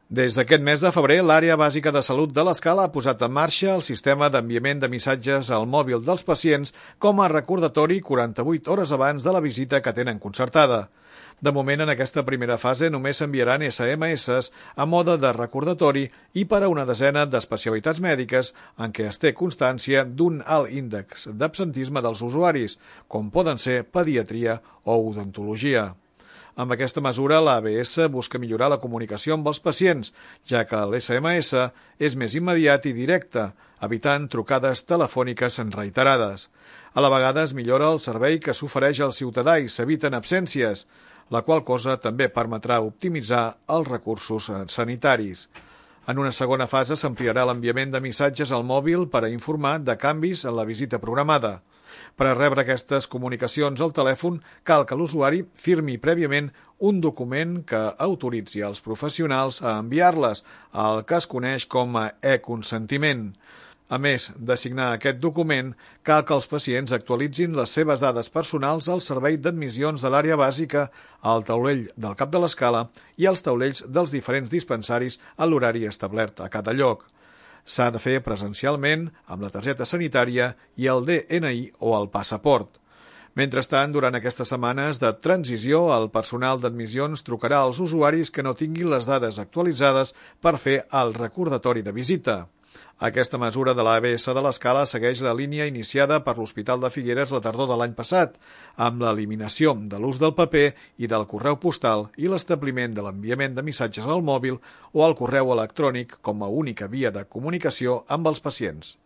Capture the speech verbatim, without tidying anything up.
Des d'aquest mes de febrer, l'Àrea Bàsica de Salut de l'Escala ha posat en marxa el sistema d'enviament de missatges al mòbil dels pacients com a recordatori quaranta-vuit hores abans de la visita que tenen concertada. De moment, en aquesta primera fase, només s'enviaran esse eme esse a mode de recordatori i per a una desena d'especialitats mèdiques en què es té constància d'un alt índex d'absentisme dels usuaris, com poden ser pediatria o odontologia. Amb aquesta mesura, l'A B esse busca millorar la comunicació amb els pacients, ja que l'esse eme esse és més immediat i directe, evitant trucades telefòniques reiterades. A la vegada es millora el servei que s'ofereix al ciutadà i s'eviten absències, la qual cosa també permetrà optimitzar els recursos sanitaris. En una segona fase s'ampliarà l'enviament de missatges al mòbil per a informar de canvis en la visita programada. Per a rebre aquestes comunicacions al telèfon cal que l'usuari firmi prèviament un document que autoritzi els professionals a enviar-les, el que es coneix com a e-consentiment. A més de signar aquest document, cal que els pacients actualitzin les seves dades personals al servei d'admissions de l'àrea bàsica, al taulell del cap de l'escala i als taulells dels diferents dispensaris a l'horari establert a cada lloc. S'ha de fer presencialment amb la targeta sanitària i el de ene i o el passaport. Mentrestant, durant aquestes setmanes de transició, el personal d'admissions trucarà als usuaris que no tinguin les dades actualitzades per fer el recordatori de visita. Aquesta mesura de l'A B esse de l'Escala segueix la línia iniciada per l'Hospital de Figueres la tardor de l'any passat, amb l'eliminació de l'ús del paper i del correu postal i l'establiment de l'enviament de missatges al mòbil o al correu electrònic com a única via de comunicació amb els pacients.